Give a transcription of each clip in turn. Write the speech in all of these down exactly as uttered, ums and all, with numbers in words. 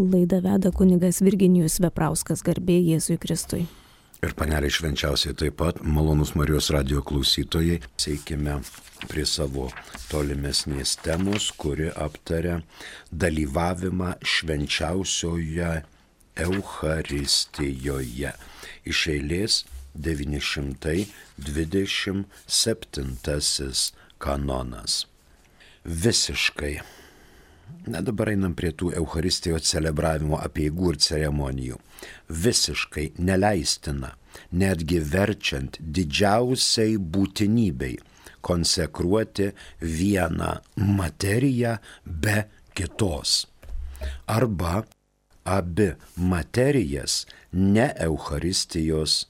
Laidą veda kunigas Virginijus Veprauskas, garbė Jėzui Kristui. Ir panelė švenčiausiai taip pat, malonus Marijos radijo klausytojai, eikime prie savo tolimesnės temos, kuri aptaria dalyvavimą švenčiausioje Eucharistijoje. Iš eilės devyni šimtai dvidešimt septintasis kanonas. Visiškai. Na dabar einam prie tų Eucharistijos celebravimo apeigų ir ceremonijų. Visiškai neleistina, netgi verčiant didžiausiai būtinybei konsekruoti vieną materiją be kitos. Arba abi materijas ne Eucharistijos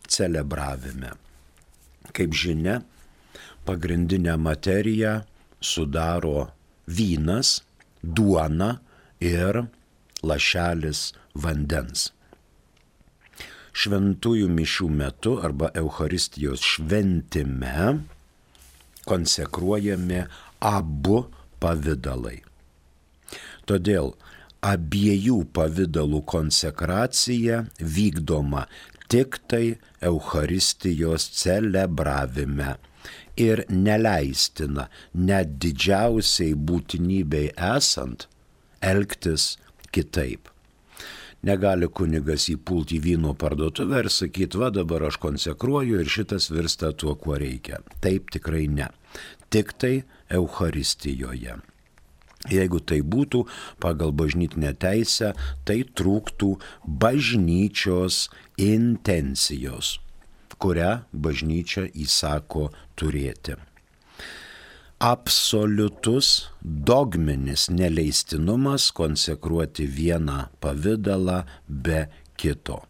celebravime. Kaip žinia, pagrindinę materiją sudaro vynas, duona ir lašelis vandens. Šventųjų mišių metu arba Eucharistijos šventime konsekruojami abu pavidalai. Todėl abiejų pavidalų konsekracija vykdoma tik tai Eucharistijos celebravime. Ir neleistina, net didžiausiai būtinybei esant, elgtis kitaip. Negali kunigas įpulti į vyno parduotuvę ir sakyti, va dabar aš konsekruoju ir šitas virsta tuo, kuo reikia. Taip tikrai ne. Tik tai Eucharistijoje. Jeigu tai būtų pagal bažnytinę teisę, tai trūktų bažnyčios intencijos, kurią bažnyčia įsako turėti. Absoliutus dogminis neleistinumas konsekruoti vieną pavidalą be kito.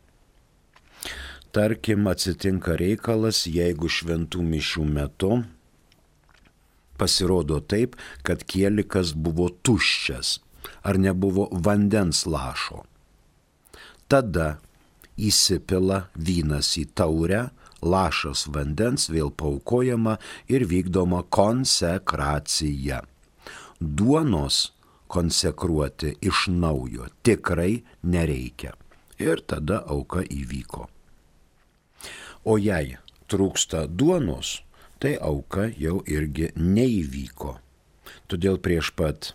Tarkim, atsitinka reikalas, jeigu šventų mišių metu pasirodo taip, kad kielikas buvo tuščias ar nebuvo vandens lašo. Tada įsipila vynas į taurę, lašas vandens vėl paaukojama ir vykdoma konsekracija. Duonos konsekruoti iš naujo tikrai nereikia. Ir tada auka įvyko. O jei trūksta duonos, tai auka jau irgi neįvyko. Todėl prieš pat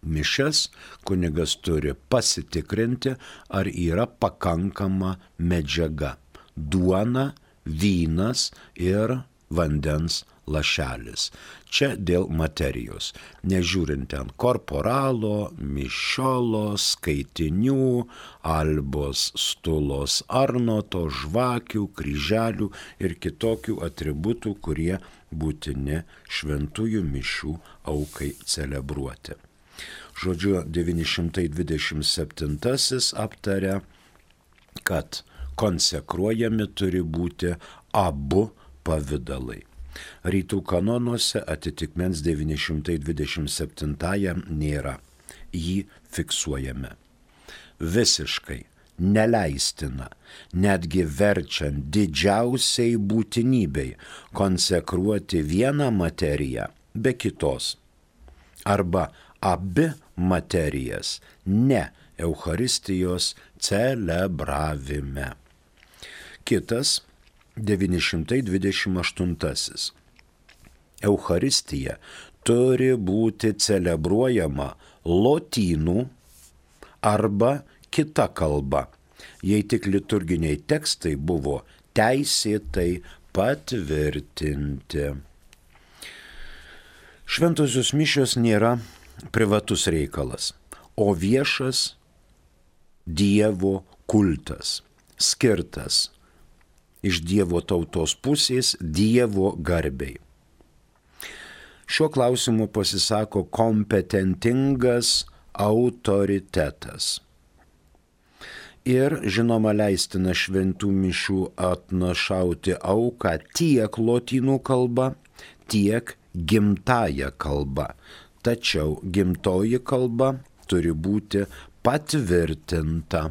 mišias kunigas turi pasitikrinti, ar yra pakankama medžiaga. Duona, vynas ir vandens lašelis. Čia dėl materijos. Nežiūrint ten korporalo, mišiolo, skaitinių, albos, stulos, arnoto, žvakių, kryželių ir kitokių atributų, kurie būtini šventųjų mišių aukai celebruoti. Žodžiu, devyni šimtai dvidešimt septintasis aptaria, kad konsekruojami turi būti abu pavidalai. Rytų kanonuose atitikmens devyni šimtai dvidešimt septintajam nėra. Jį fiksuojame. Visiškai neleistina, netgi verčiant didžiausiai būtinybei konsekruoti vieną materiją be kitos. Arba abi materijas ne Eucharistijos celebravime. Kitas devyni šimtai dvidešimt aštuntasis. Eucharistija turi būti celebruojama lotynų arba kita kalba, jei tik liturginiai tekstai buvo teisėtai patvirtinti. Šventosios mišios nėra privatus reikalas, o viešas Dievo kultas, skirtas iš Dievo tautos pusės Dievo garbei. Šiuo klausimu pasisako kompetentingas autoritetas. Ir, žinoma, leistina šventų mišių atnašauti auką tiek lotynų kalba, tiek gimtąja kalba. Tačiau gimtoji kalba turi būti patvirtinta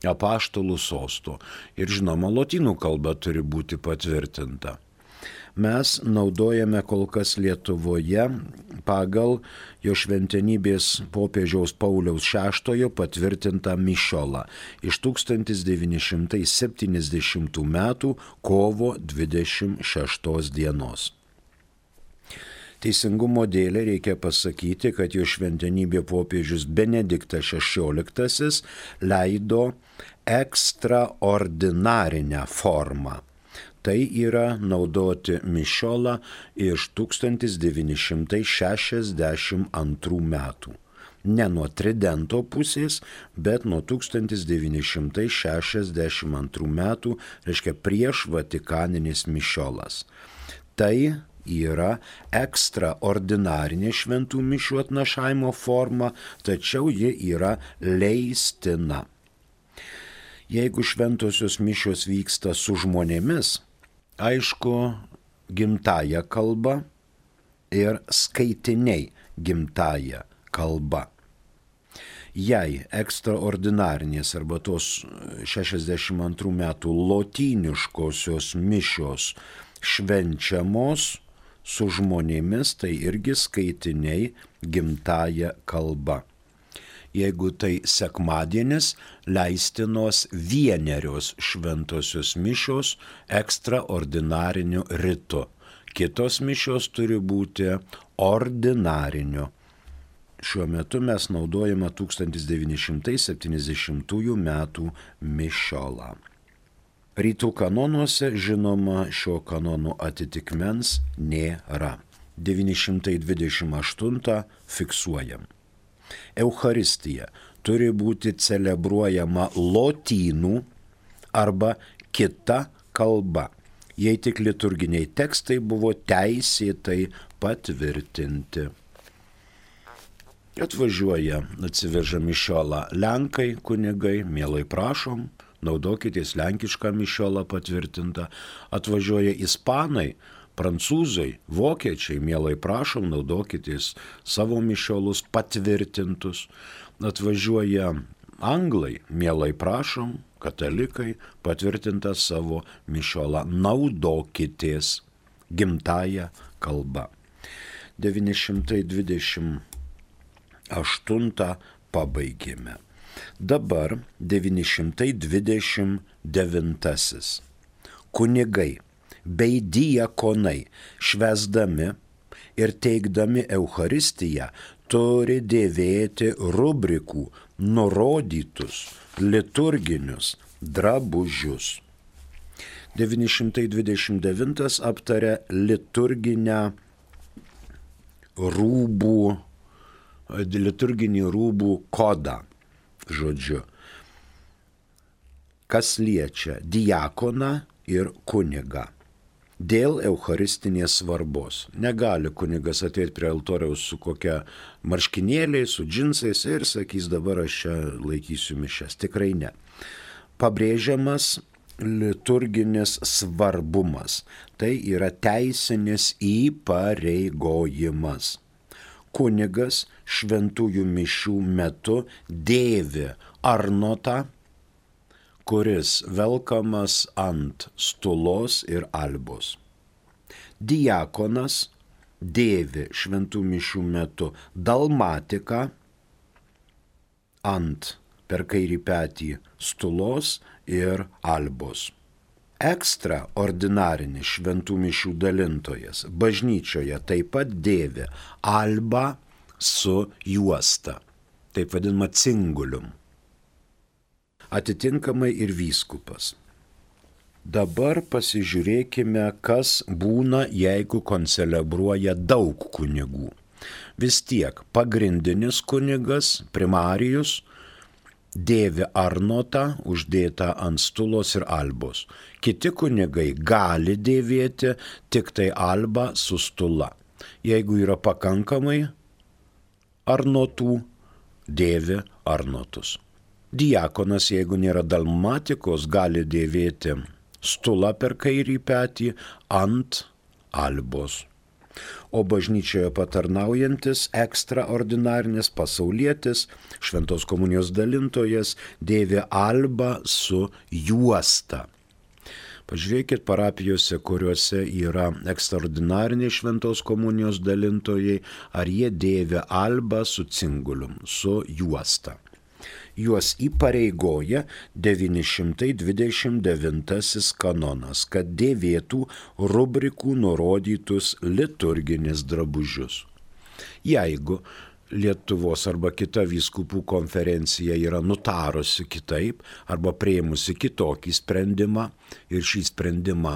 apaštalų sosto. Ir žinoma, lotynų kalba turi būti patvirtinta. mes naudojame kol kas Lietuvoje pagal jo šventenybės popiežiaus Pauliaus šeštojo patvirtintą mišiolą iš tūkstantis devyni šimtai septyniasdešimtų metų kovo dvidešimt šeštos dienos. Teisingumo dėlei reikia pasakyti, kad jo šventenybė popiežius Benediktas šešioliktasis leido ekstraordinarinę formą. Tai yra naudoti mišiolą iš tūkstantis devyni šimtai šešiasdešimt antrų metų. Ne nuo tridento pusės, bet nuo tūkstantis devyni šimtai šešiasdešimt antrų metų, reiškia prieš vatikaninis mišiolas. Tai yra ekstraordinarinė šventų mišių atnašavimo forma, tačiau ji yra leistina. Jeigu šventosios mišios vyksta su žmonėmis, aišku, gimtąja kalba ir skaitiniai gimtąja kalba. Jei ekstraordinarinės arba tos šešiasdešimt antrų metų lotyniškosios mišios švenčiamos su žmonėmis, tai irgi skaitiniai gimtąja kalba. Jeigu tai sekmadienis, leistinos vienerios šventosios mišios ekstraordinariniu ritu. Kitos mišios turi būti ordinarinio. Šiuo metu mes naudojame tūkstantis devyni šimtai septyniasdešimtųjų metų mišiolą. Rytų kanonuose, žinoma, šio kanonų atitikmens nėra. devyni šimtai dvidešimt aštuntą fiksuojam. Eucharistija turi būti celebruojama lotynų arba kita kalba, jei tik liturginiai tekstai buvo teisėtai patvirtinti. Atvažiuoja, atsiveža mišiolą lenkai, kunigai, mielai prašom, naudokitės lenkišką mišiolą patvirtintą. Atvažiuoja ispanai, prancūzai, vokiečiai, mielai prašom, naudokitės savo mišiolus patvirtintus. Atvažiuoja anglai, mielai prašom, katalikai, patvirtintą savo mišiolą, naudokitės gimtąją kalbą. devyni šimtai dvidešimt aštuntą pabaigėme. Dabar devyni šimtai dvidešimt devintasis. Kunigai bei diakonai švęsdami ir teikdami Eucharistiją turi dėvėti rubrikų nurodytus liturginius drabužius. devyni šimtai dvidešimt devintas aptaria liturginę rūbų, liturginį rūbų kodą, žodžiu. Kas liečia diakoną ir kunigą. Dėl eucharistinės svarbos. Negali kunigas ateiti prie altoriaus su kokia marškinėliai, su džinsais ir sakys, dabar aš čia laikysiu mišias. Tikrai ne. Pabrėžiamas liturginis svarbumas. Tai yra teisinis įpareigojimas. Kunigas šventųjų mišių metu dėvi arnotą, kuris velkamas ant stulos ir albos. Diakonas dėvi šventų mišių metu dalmatiką ant per kairį petį stulos ir albos. Ekstraordinarinis šventų mišių dalintojas bažnyčioje taip pat dėvi albą su juosta, taip vadinama cingulium. Atitinkamai ir vyskupas. Dabar pasižiūrėkime, kas būna, jeigu koncelebruoja daug kunigų. Vis tiek pagrindinis kunigas, primarijus, dėvi arnotą uždėtą ant stulos ir albos. Kiti kunigai gali dėvėti tik tai albą su stula. Jeigu yra pakankamai arnotų, dėvi arnotus. Diakonas, jeigu nėra dalmatikos, gali dėvėti stulą per kairį petį ant albos. O bažnyčioje patarnaujantis ekstraordinarinis pasaulietis, šventos komunijos dalintojas, dėvi albą su juosta. Pažiūrėkit parapijose, kuriuose yra ekstraordinariniai šventos komunijos dalintojai, ar jie dėvi albą su cingulium, su juosta. Juos įpareigoja devyni šimtai dvidešimt devintasis kanonas, kad dėvėtų rubrikų nurodytus liturginis drabužius. Jeigu Lietuvos arba kita vyskupų konferencija yra nutarusi kitaip arba prieimusi kitokį sprendimą ir šį sprendimą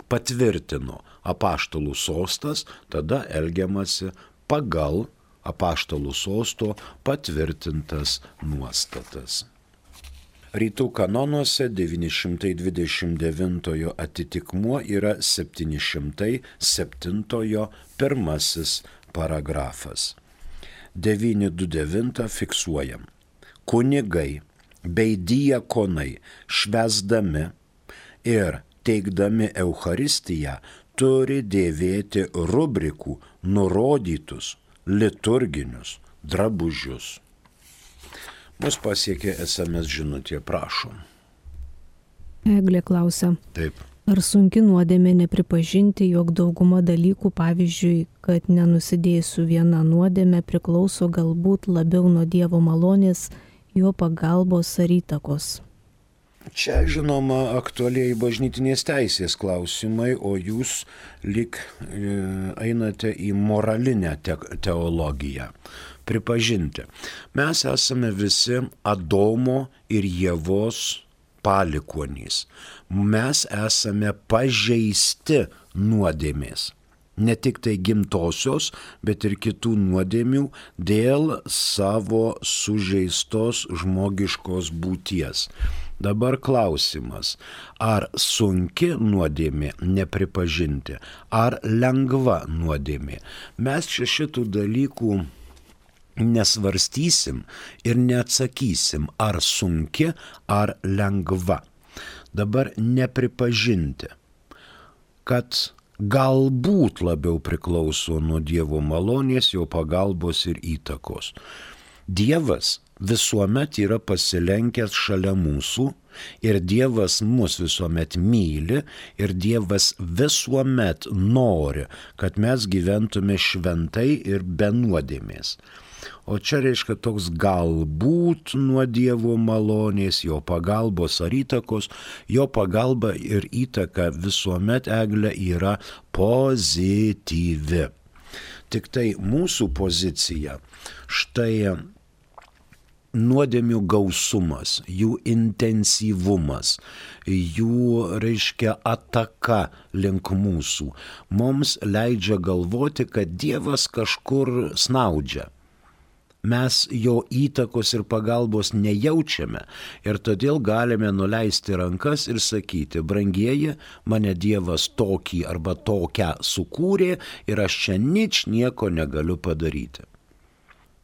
patvirtino apaštalų sostas, tada elgiamasi pagal apaštalų sosto patvirtintas nuostatas. Rytų kanonuose devyni šimtai dvidešimt devintojo atitikmuo yra septyni šimtai septintojo pirmasis paragrafas. devyni du devyni fiksuojam. Kunigai bei diakonai švęsdami ir teikdami Eucharistiją turi dėvėti rubrikų nurodytus liturginius drabužius. Mus pasiekė es em es žinutė, prašom. Eglė klausia. Taip. Ar sunki nuodėmė nepripažinti, jog dauguma dalykų, pavyzdžiui, kad nenusidėsiu viena nuodėmė, priklauso galbūt labiau nuo Dievo malonės, jo pagalbos ar įtakos? Čia, žinoma, aktualiai bažnytinės teisės klausimai, o jūs lyg e, einate į moralinę te- teologiją. Pripažinti. Mes esame visi Adomo ir Ievos palikuonys. Mes esame pažeisti nuodėmės. Ne tik tai gimtosios, bet ir kitų nuodėmių dėl savo sužeistos žmogiškos būties. Dabar klausimas, ar sunki nuodėmė nepripažinti, ar lengva nuodėmė. Mes čia šitų dalykų nesvarstysim ir neatsakysim, ar sunki, ar lengva. Dabar nepripažinti, kad galbūt labiau priklauso nuo Dievo malonės, jo pagalbos ir įtakos. Dievas visuomet yra pasilenkęs šalia mūsų ir Dievas mus visuomet myli ir Dievas visuomet nori, kad mes gyventume šventai ir be nuodėmės. O čia reiškia toks galbūt nuo Dievo malonės, jo pagalbos ar įtakos, jo pagalba ir įtaka visuomet, Eglė, yra pozityvi. Tik tai mūsų pozicija, štai nuodėmių gausumas, jų intensyvumas, jų, reiškia, ataka link mūsų, mums leidžia galvoti, kad Dievas kažkur snaudžia. Mes jo įtakos ir pagalbos nejaučiame ir todėl galime nuleisti rankas ir sakyti, brangieji, mane Dievas tokį arba tokią sukūrė ir aš čia nič nieko negaliu padaryti.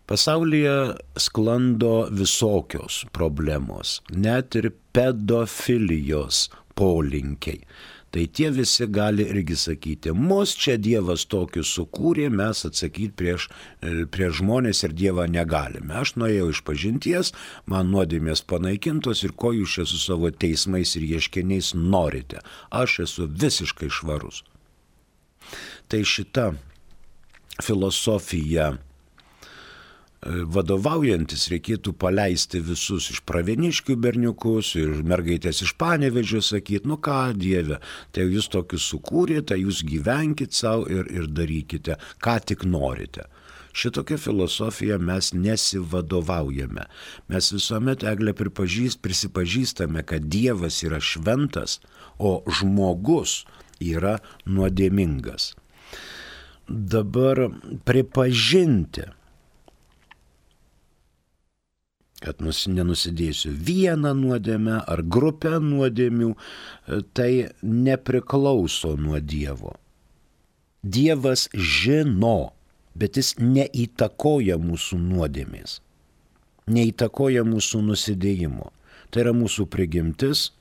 Pasaulyje sklando visokios problemos, net ir pedofilijos polinkiai. Tai tie visi gali irgi sakyti, mus čia Dievas tokius sukūrė, mes atsakyti prieš, prieš žmonės ir Dievą negalime. Aš nuėjau iš pažinties, man nuodėmės panaikintos ir ko jūs čia su savo teismais ir ieškiniais norite. Aš esu visiškai švarus. Tai šita filosofija vadovaujantis reikėtų paleisti visus iš Pravieniškių berniukus ir mergaitės iš Panevėžio sakyti, nu ką Dieve, tai jūs tokius sukūrėte, jūs gyvenkite savo ir, ir darykite, ką tik norite. Šitokią filosofiją mes nesivadovaujame. Mes visuomet, Eglė, pripažįst, prisipažįstame, kad Dievas yra šventas, o žmogus yra nuodėmingas. Dabar pripažinti, kad nenusidėsiu vieną nuodėmę ar grupę nuodėmių, tai nepriklauso nuo Dievo. Dievas žino, bet jis neįtakoja mūsų nuodėmės, neįtakoja mūsų nusidėjimo. Tai yra mūsų prigimtis,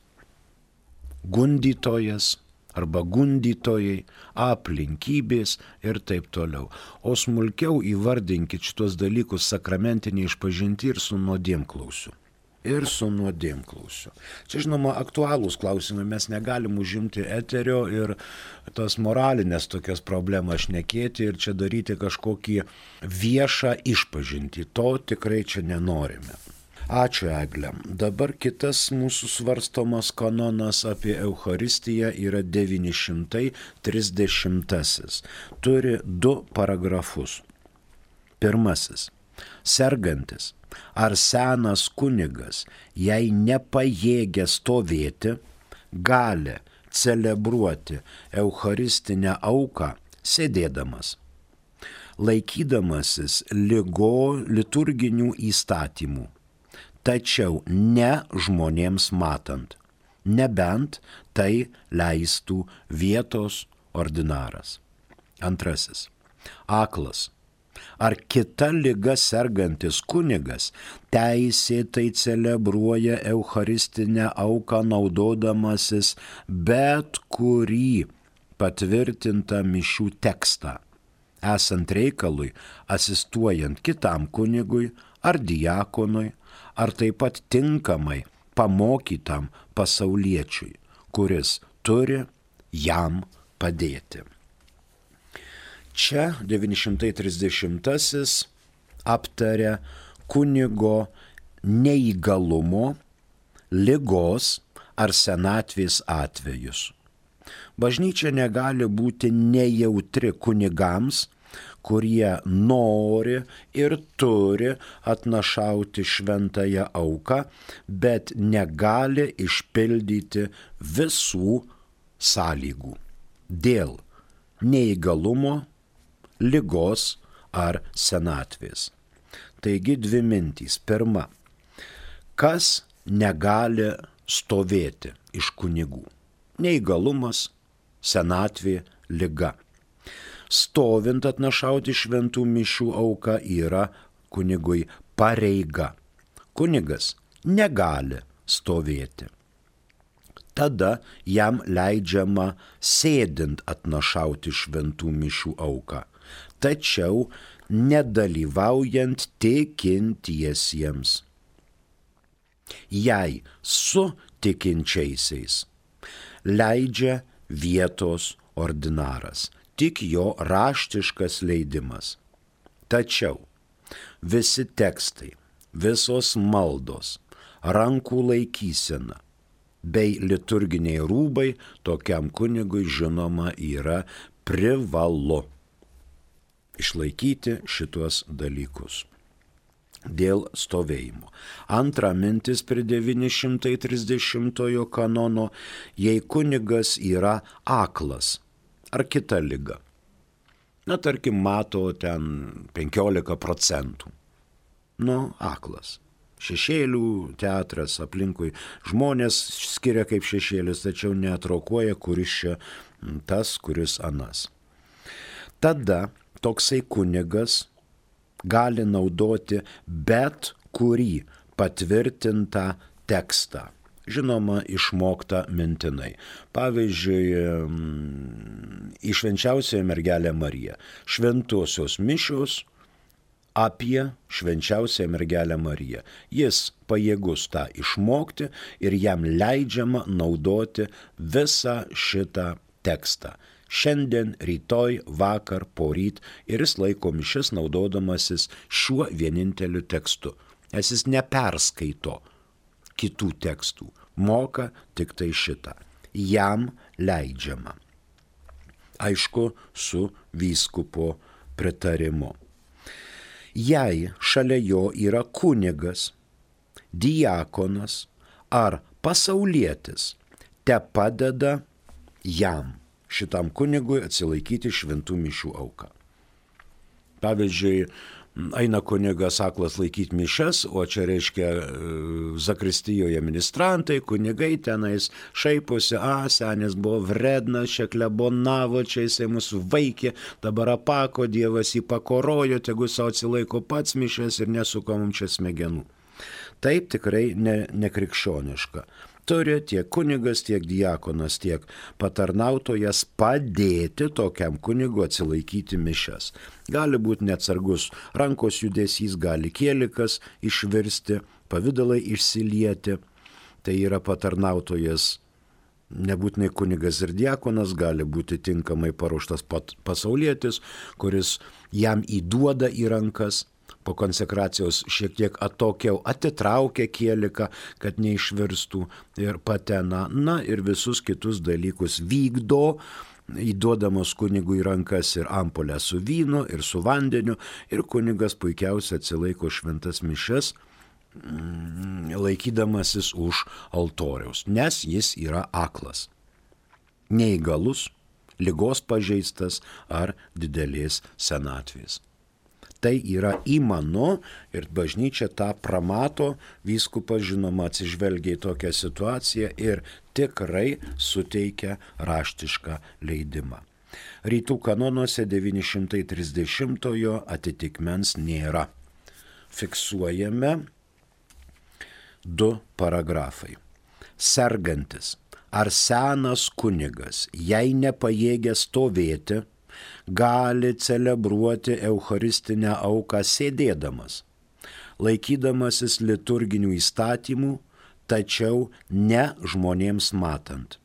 gundytojas arba gundytojai, aplinkybės ir taip toliau. O smulkiau įvardinkit šitos dalykus sakramentiniai išpažinti ir su nuodėmklausiu. ir su nuodėmklausiu. Čia, žinoma, aktualūs klausimai, mes negalim užimti eterio ir tas moralinės tokias problemas šnekėti ir čia daryti kažkokį viešą išpažintį. To tikrai čia nenorime. Ačiū, Egle. Dabar kitas mūsų svarstomas kanonas apie Eucharistiją yra devyni šimtai trisdešimtasis. Turi du paragrafus. Pirmasis. Sergantis ar senas kunigas, jei nepajėgia stovėti, gali celebruoti Eucharistinę auką sėdėdamas, laikydamasis ligo liturginių įstatymų, tačiau ne žmonėms matant, nebent tai leistų vietos ordinaras. Antrasis. Aklas ar kita liga sergantis kunigas teisėtai celebruoja Eucharistinę auką naudodamasis bet kurį patvirtintą mišių tekstą, esant reikalui asistuojant kitam kunigui ar diakonui, ar taip pat tinkamai pamokytam pasauliečiui, kuris turi jam padėti. Čia devyni šimtai trisdešimtasis aptaria kunigo neįgalumo, ligos ar senatvės atvejus. Bažnyčia negali būti nejautri kunigams, kurie nori ir turi atnašauti šventąją auką, bet negali išpildyti visų sąlygų dėl neįgalumo, ligos ar senatvės. Taigi dvi mintys. Pirma, kas negali stovėti iš kunigų? Neįgalumas, senatvė, liga. Stovint atnašauti šventų mišių auką yra kunigui pareiga. Kunigas negali stovėti. Tada jam leidžiama sėdint atnašauti šventų mišių auką, tačiau nedalyvaujant tikintiesiems. Jei su tikinčiaisiais leidžia vietos ordinaras, tik jo raštiškas leidimas. Tačiau visi tekstai, visos maldos, rankų laikysena bei liturginiai rūbai tokiam kunigui žinoma yra privalu išlaikyti šituos dalykus dėl stovėjimo. Antra mintis prie devyni šimtai trisdešimtojo kanono, jei kunigas yra aklas ar kita liga. Na, tarkim, mato ten penkiolika procentų. Nu, aklas. Šešėlių teatras aplinkui žmonės skiria kaip šešėlis, tačiau neatrokuoja, kuris čia tas, kuris anas. Tada toksai kunigas gali naudoti bet kurį patvirtintą tekstą. Žinoma, išmokta mintinai. Pavyzdžiui, į Švenčiausiąją mergelę Mariją. Šventosios mišios apie Švenčiausiąją mergelę Mariją. Jis pajėgus tą išmokti ir jam leidžiama naudoti visą šitą tekstą. Šiandien, rytoj, vakar, poryt ir jis laiko mišias naudodamasis šiuo vieninteliu tekstu. Nes jis neperskaito kitų tekstų, moka tik tai šitą. Jam leidžiama. Aišku, su vyskupo pritarimu. Jei šalia jo yra kunigas, diakonas ar pasaulietis, te padeda jam, šitam kunigui, atsilaikyti šventų mišių auką. Pavyzdžiui, eina kunigas aklas laikyti mišes, o čia reiškia zakristijoje ministrantai, kunigai tenais šaiposi, a, senis buvo vrednas, čia klebonavo, čia jisai mus vaikė, dabar apako, Dievas jį pakorojo, tegu savo atsilaiko pats mišes ir nesuka mums čia smegenų. Taip tikrai ne, nekrikščioniška. Turi tiek kunigas, tiek diakonas, tiek patarnautojas padėti tokiam kunigu atsilaikyti mišes. Gali būti neatsargus rankos judesys, gali kielikas išvirsti, pavydalai išsilieti. Tai yra patarnautojas, nebūtinai kunigas ir diakonas, gali būti tinkamai paruoštas pasaulietis, kuris jam įduoda į rankas, po konsekracijos šiek tiek atokiau atitraukia kieliką, kad neišvirstų ir patena, na ir visus kitus dalykus vykdo, įduodamos kunigui į rankas ir ampulę su vynu, ir su vandeniu, ir kunigas puikiausiai atsilaiko šventas mišias, laikydamasis už altoriaus, nes jis yra aklas, neįgalus, ligos pažeistas ar didelės senatvės. Tai yra įmanu ir bažnyčia tą pramato, vyskupas žinoma atsižvelgia į tokią situaciją ir tikrai suteikia raštišką leidimą. Rytų kanonuose devyni šimtai trisdešimtojo atitikmens nėra. Fiksuojame du paragrafai. Sergantis ar senas kunigas, jei nepajėgia stovėti, gali celebruoti eucharistinę auką sėdėdamas, laikydamasis liturginių įstatymų, tačiau ne žmonėms matant,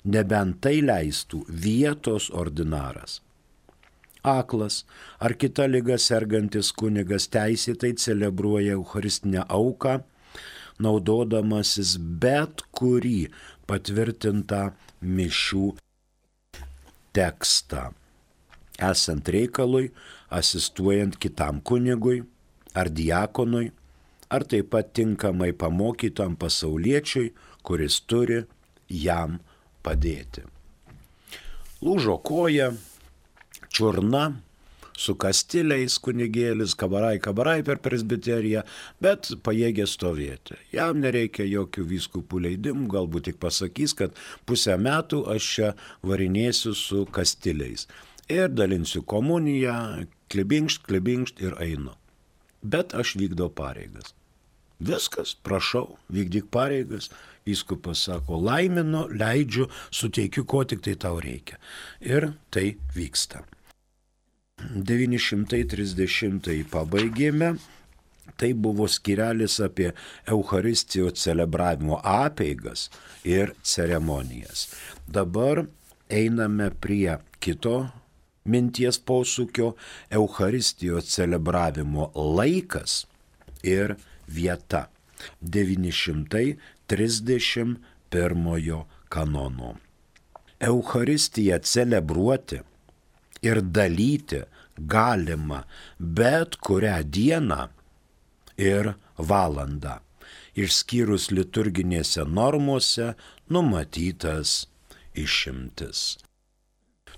nebent tai leistų vietos ordinaras. Aklas ar kita liga sergantis kunigas teisėtai celebruoja eucharistinę auką, naudodamasis bet kurį patvirtintą mišių tekstą, esant reikalui, asistuojant kitam kunigui ar diakonui, ar taip pat tinkamai pamokytam pasauliečiui, kuris turi jam padėti. Lūžo koja, čiurna, su kastiliais kunigėlis, kabarai, kabarai per presbiteriją, bet pajėgia stovėti. Jam nereikia jokių vyskupų leidimų, galbūt tik pasakys, kad pusę metų aš čia varinėsiu su kastiliais. Ir dalinsiu komuniją, klibinkšt, klibinkšt ir einu. Bet aš vykdau pareigas. Viskas, prašau, vykdyk pareigas. Vyskupas sako, laiminu, leidžiu, suteikiu, ko tik tai tau reikia. Ir tai vyksta. devyni šimtai trisdešimtąjį pabaigėme. Tai buvo skyrelis apie Eucharistijos celebravimo apeigas ir ceremonijas. Dabar einame prie kito minties posūkio – Eucharistijos celebravimo laikas ir vieta. devyni šimtai trisdešimt pirmojo kanono. Eucharistiją celebruoti ir dalyti galima bet kurią dieną ir valandą, išskyrus liturginėse normose numatytas išimtis.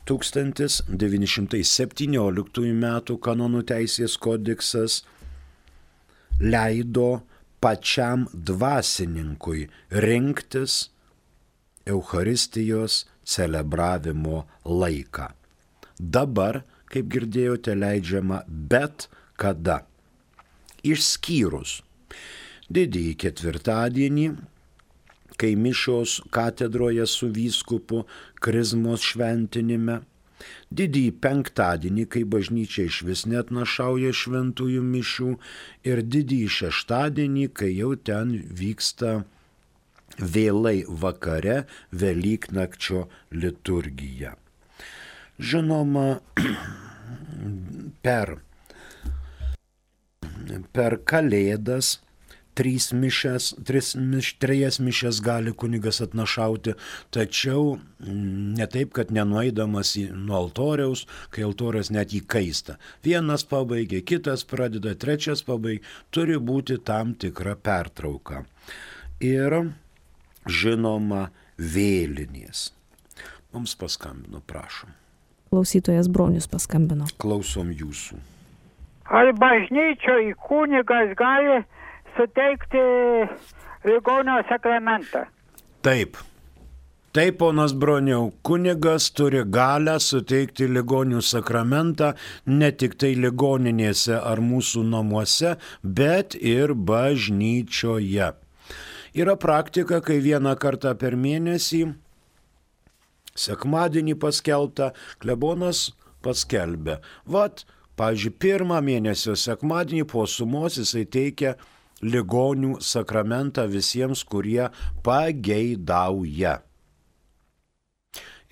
tūkstantis devyni šimtai septynioliktųjų metų kanonų teisės kodeksas leido pačiam dvasininkui rinktis Eucharistijos celebravimo laiką. Dabar, kaip girdėjote, leidžiama bet kada, išskyrus didįjį ketvirtadienį, kai mišios katedroje su vyskupu krizmos šventinime, didįjį penktadienį, kai bažnyčia išvis neatnašauja šventųjų mišių, ir didįjį šeštadienį, kai jau ten vyksta vėlai vakare Velyknakčio liturgija. Žinoma, per, per Kalėdas trys mišes, tris miš, trejas mišes gali kunigas atnašauti, tačiau ne taip, kad nenueidamas į, nuo altoriaus, kai altorius net įkaista. Vienas pabaigia, kitas pradeda, trečias pabaigia, turi būti tam tikra pertrauka. Ir, žinoma, vėlinės. Mums paskambino, prašom. Klausytojas Bronius paskambino. Klausom jūsų. Ar bažnyčioje kunigas gali suteikti ligonio sakramentą? Taip. Taip, ponas Broniau, kunigas turi galę suteikti ligonių sakramentą ne tik tai ligoninėse ar mūsų namuose, bet ir bažnyčioje. Yra praktika, kai vieną kartą per mėnesį sekmadienį paskelbta, klebonas paskelbė. Vat, pavyzdžiui, pirmą mėnesio sekmadienį po sumos jisai teikia ligonių sakramentą visiems, kurie pageidauja.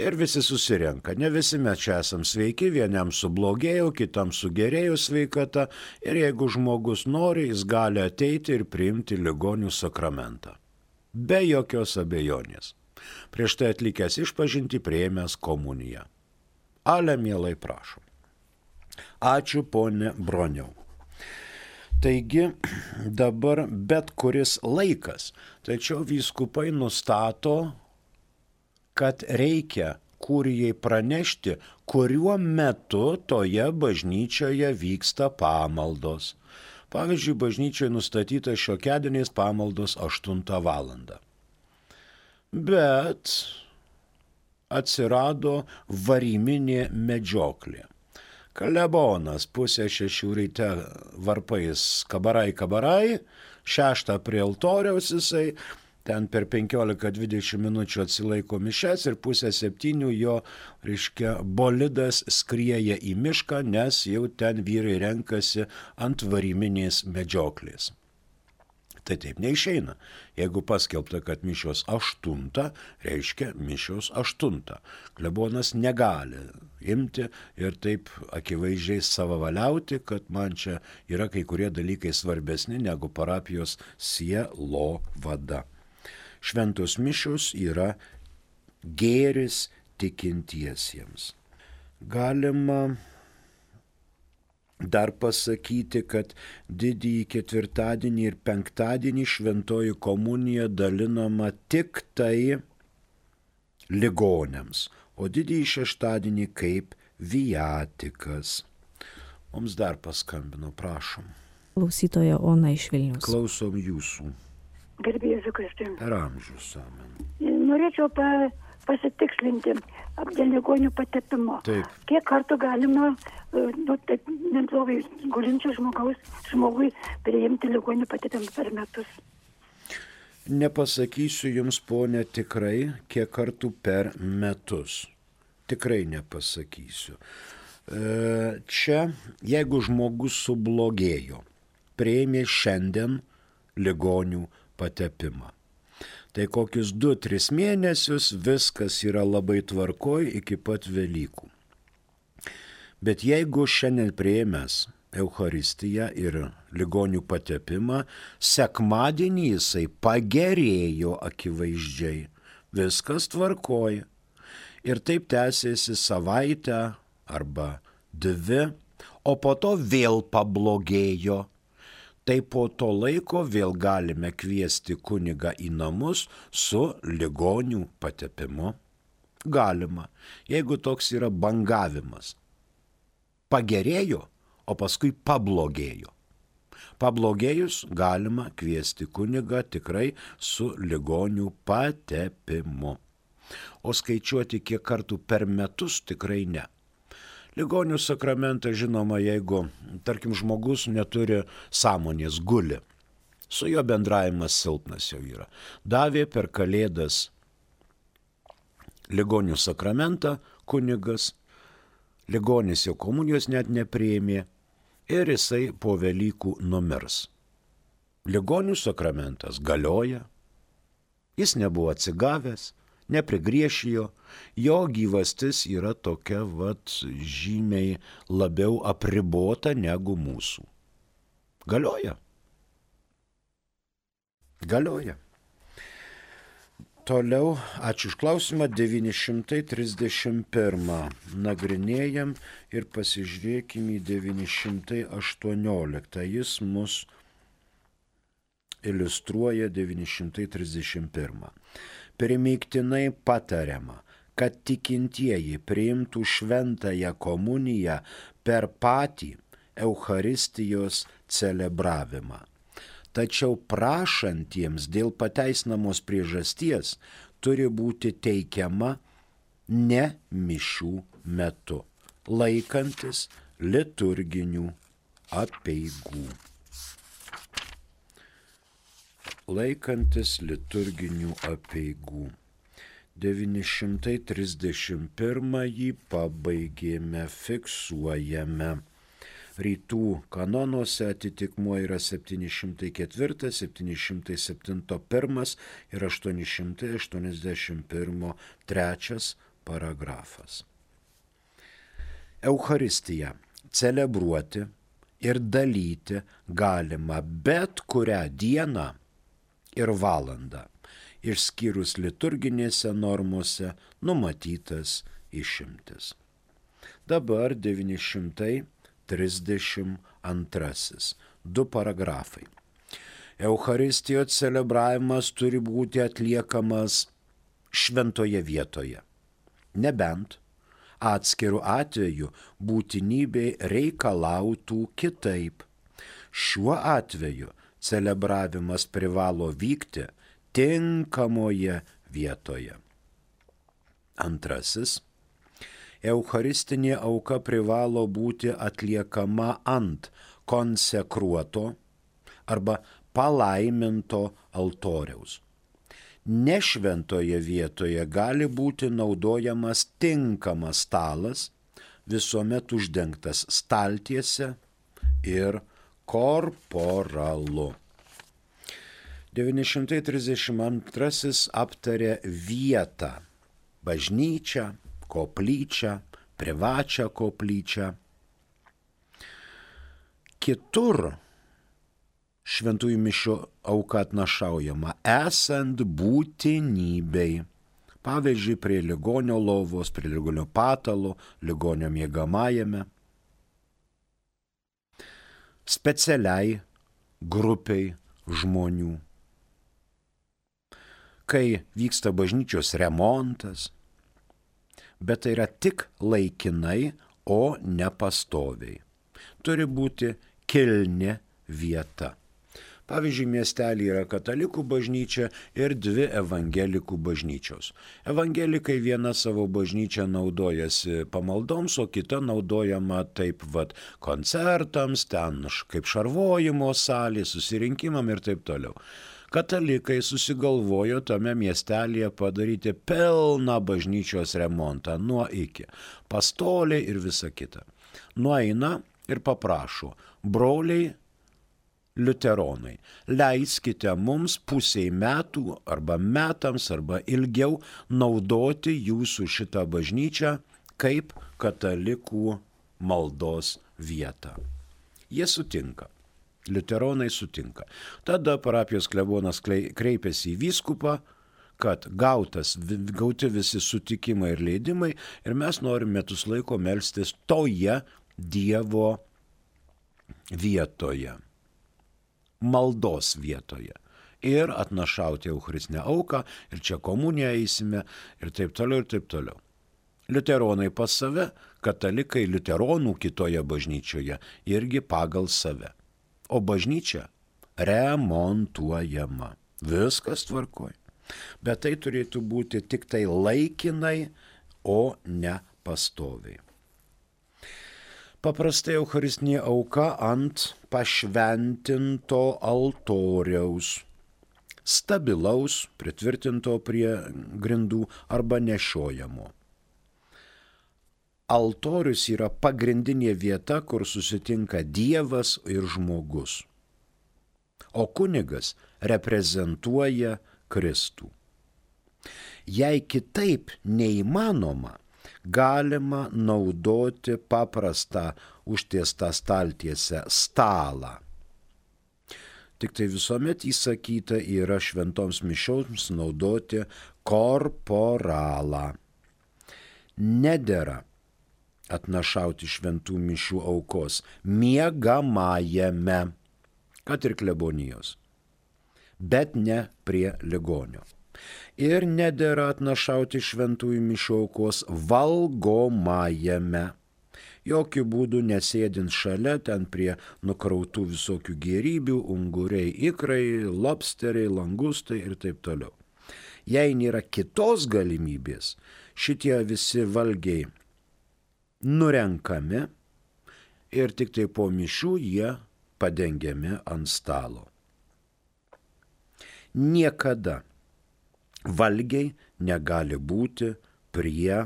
Ir visi susirenka. Ne visi mes čia esam sveiki, vienam sublogėjo, kitam sugerėjo sveikata. Ir jeigu žmogus nori, jis gali ateiti ir priimti ligonių sakramentą. Be jokios abejonės. Prieš tai atlikęs išpažinti, priėmęs komuniją. Ale, mielai prašom. Ačiū, ponė Broniau. Taigi dabar bet kuris laikas, tačiau vyskupai nustato, kad reikia kurijai pranešti, kuriuo metu toje bažnyčioje vyksta pamaldos. Pavyzdžiui, bažnyčioje nustatyta šiokiadieniais pamaldos aštuntą valandą. Bet atsirado variminė medžioklė. Klebonas pusę šešių ryte varpais kabarai kabarai, šeštą prie altoriaus jisai, ten per penkiolika dvidešimt minučių atsilaiko mišes ir pusę septynių jo, reiškia, bolidas skrieja į mišką, nes jau ten vyrai renkasi ant variminės medžioklės. Tai taip neišeina. Jeigu paskelbta, kad mišios aštuntą, reiškia mišios aštuntą. Klebonas negali imti ir taip akivaizdžiai savavaliauti, kad man čia yra kai kurie dalykai svarbesni negu parapijos sielovada. Šventos mišios yra gėris tikintiesiems. Galima dar pasakyti, kad didįjį ketvirtadienį ir penktadienį šventoji komunija dalinama tik tai ligoniams, o didįjį šeštadienį kaip viatikas. Mums dar paskambino, prašom. Klausytoja Ona iš Vilniaus. Klausom jūsų. Garbė Jėzui Kristui. Per amžius, amen. Norėčiau pa, pasitikslinti dėl ligonių patepimo. Taip. Kiek kartų galima, nu, taip, neblogai gulinčio žmogaus, žmogui priimti ligonių patepimą per metus? Nepasakysiu jums, ponė, tikrai, kiek kartų per metus. Tikrai nepasakysiu. Čia, jeigu žmogus sublogėjo, priėmė šiandien ligonių patepimą. Tai kokius du tris mėnesius viskas yra labai tvarkoj iki pat Velykų. Bet jeigu šiandien priėmęs Eucharistiją ir ligonių patepimą, sekmadienį jisai pagerėjo akivaizdžiai, viskas tvarkoj. Ir taip tęsėsi savaitę arba dvi, o po to vėl pablogėjo. Tai po to laiko vėl galime kviesti kunigą į namus su ligonių patepimu. Galima, jeigu toks yra bangavimas. Pagerėjo, o paskui pablogėjo. Pablogėjus galima kviesti kunigą tikrai su ligonių patepimu. O skaičiuoti kiek kartų per metus tikrai ne. Ligonių sakramentą, žinoma, jeigu, tarkim, žmogus neturi sąmonės, guli, su jo bendravimas silpnas jau yra. Davė per Kalėdas ligonių sakramentą kunigas, ligonis jau komunijos net nepriėmė ir jisai po Velykų numirs. Ligonių sakramentas galioja, jis nebuvo atsigavęs, neprigriešijo, jo gyvastis yra tokia vat žymiai labiau apribota negu mūsų. Galioja. Galioja. Toliau, ačiū už klausimą, devyni šimtai trisdešimt pirmą nagrinėjam ir pasižiūrėkim į devyni šimtai aštuonioliktą. Jis mus iliustruoja devyni šimtai trisdešimt pirmą. Primygtinai patariama, kad tikintieji priimtų šventąją komuniją per patį Eucharistijos celebravimą. Tačiau prašantiems dėl pateisinamos priežasties turi būti teikiama ne mišių metu, laikantis liturginių apeigų. Laikantis liturginių apeigų. devyni šimtai trisdešimt pirmąjį pabaigėme, fiksuojame. rytų kanonuose atitikmuo yra septyni šimtai keturi, septyni šimtai septyni pirmas ir aštuoni šimtai aštuoniasdešimt vienas trečias paragrafas. Eucharistiją celebruoti ir dalyti galima bet kurią dieną ir valandą, išskyrus liturginėse normose numatytas išimtis. Dabar devyni šimtai trisdešimt antrasis. Du paragrafai. Eucharistijos celebravimas turi būti atliekamas šventoje vietoje, nebent atskirų atveju būtinybė reikalautų kitaip. Šiuo atveju celebravimas privalo vykti tinkamoje vietoje. Antrasis. Eucharistinė auka privalo būti atliekama ant konsekruoto arba palaiminto altoriaus. Nešventoje vietoje gali būti naudojamas tinkamas stalas, visuomet uždengtas staltiese ir korporalu. devyni šimtai trisdešimt antrasis aptarė vietą, bažnyčią, koplyčią, privačią koplyčią. Kitur šventųjų mišių auka atnašaujama esant būtinybei. Pavyzdžiui, prie ligonio lovos, prie ligonio patalo, ligonio miegamajame. Specialiai grupiai žmonių. Kai vyksta bažnyčios remontas, bet tai yra tik laikinai, o ne pastoviai. Turi būti kilni vieta. Pavyzdžiui, miestelį yra katalikų bažnyčia ir dvi evangelikų bažnyčios. Evangelikai viena savo bažnyčią naudojasi pamaldoms, o kita naudojama taip vat koncertams, ten kaip šarvojimo salė, susirinkimam ir taip toliau. Katalikai susigalvojo tame miestelėje padaryti pilną bažnyčios remontą nuo iki, pastoliai ir visa kita. Nueina ir paprašo, broliai liuteronai, leiskite mums pusiai metų arba metams arba ilgiau naudoti jūsų šitą bažnyčią kaip katalikų maldos vietą. Jie sutinka. Liuteronai sutinka. Tada parapijos klebonas kreipiasi į vyskupą, kad gautas, gauti visi sutikimai ir leidimai ir mes norim metus laiko melstis toje Dievo vietoje, maldos vietoje ir atnašauti eucharistinę auką ir čia komuniją eisime ir taip toliau ir taip toliau. Liuteronai pas save, katalikai liuteronų kitoje bažnyčioje irgi pagal save. O bažnyčia remontuojama. Viskas tvarkoj. Bet tai turėtų būti tik tai laikinai, o ne pastoviai. Paprastai eucharistinė auka ant pašventinto altoriaus, stabilaus, pritvirtinto prie grindų arba nešiojamo. Altorius yra pagrindinė vieta, kur susitinka Dievas ir žmogus. O kunigas reprezentuoja Kristų. Jei kitaip neįmanoma, galima naudoti paprastą užtiestą staltiesę stalą. Tik tai visuomet įsakyta yra šventoms mišioms naudoti korporalą. Nedera atnašauti šventų mišių aukos miegamajame, kad ir klebonijos, bet ne prie ligonio. Ir nedera atnašauti šventųjų mišių aukos valgomajame, jokių būdų nesėdint šalia ten prie nukrautų visokių gėrybių, unguriai, ikrai, lobsteriai, langustai ir taip toliau. Jei nėra kitos galimybės, šitie visi valgiai nurenkami ir tik tai po mišių jie padengiami ant stalo. Niekada valgiai negali būti prie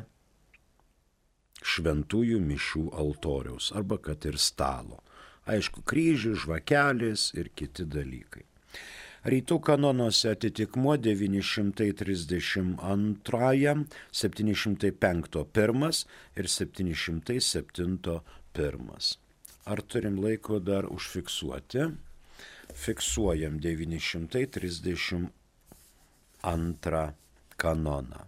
šventųjų mišių altoriaus arba kad ir stalo. Aišku, kryžius, žvakelės ir kiti dalykai. Rytų kanonuose atitikmuo devyni šimtai trisdešimt du, septyni šimtai penki pirmas ir septyni šimtai septyni pirmas. Ar turim laiko dar užfiksuoti? Fiksuojam devyni šimtai trisdešimt du kanoną.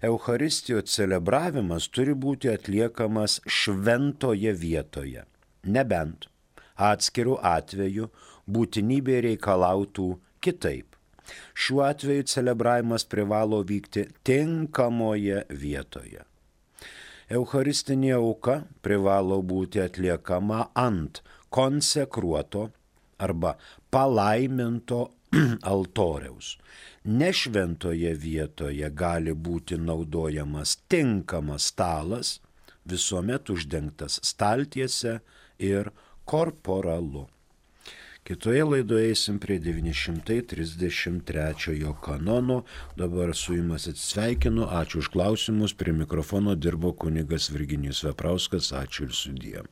Eucharistijos celebravimas turi būti atliekamas šventoje vietoje, nebent atskirų atveju būtinybė reikalautų kitaip. Šiuo atveju celebravimas privalo vykti tinkamoje vietoje. Eucharistinė auka privalo būti atliekama ant konsekruoto arba palaiminto altoriaus. Nešventoje vietoje gali būti naudojamas tinkamas stalas, visuomet uždengtas staltiese ir korporalu. Kitoje laidoje eisim prie devyni šimtai trisdešimt trečiojo kanono. Dabar su jumis atsisveikinu. Ačiū už klausimus. Prie mikrofono dirbo kunigas Virginijus Veprauskas. Ačiū ir sudie.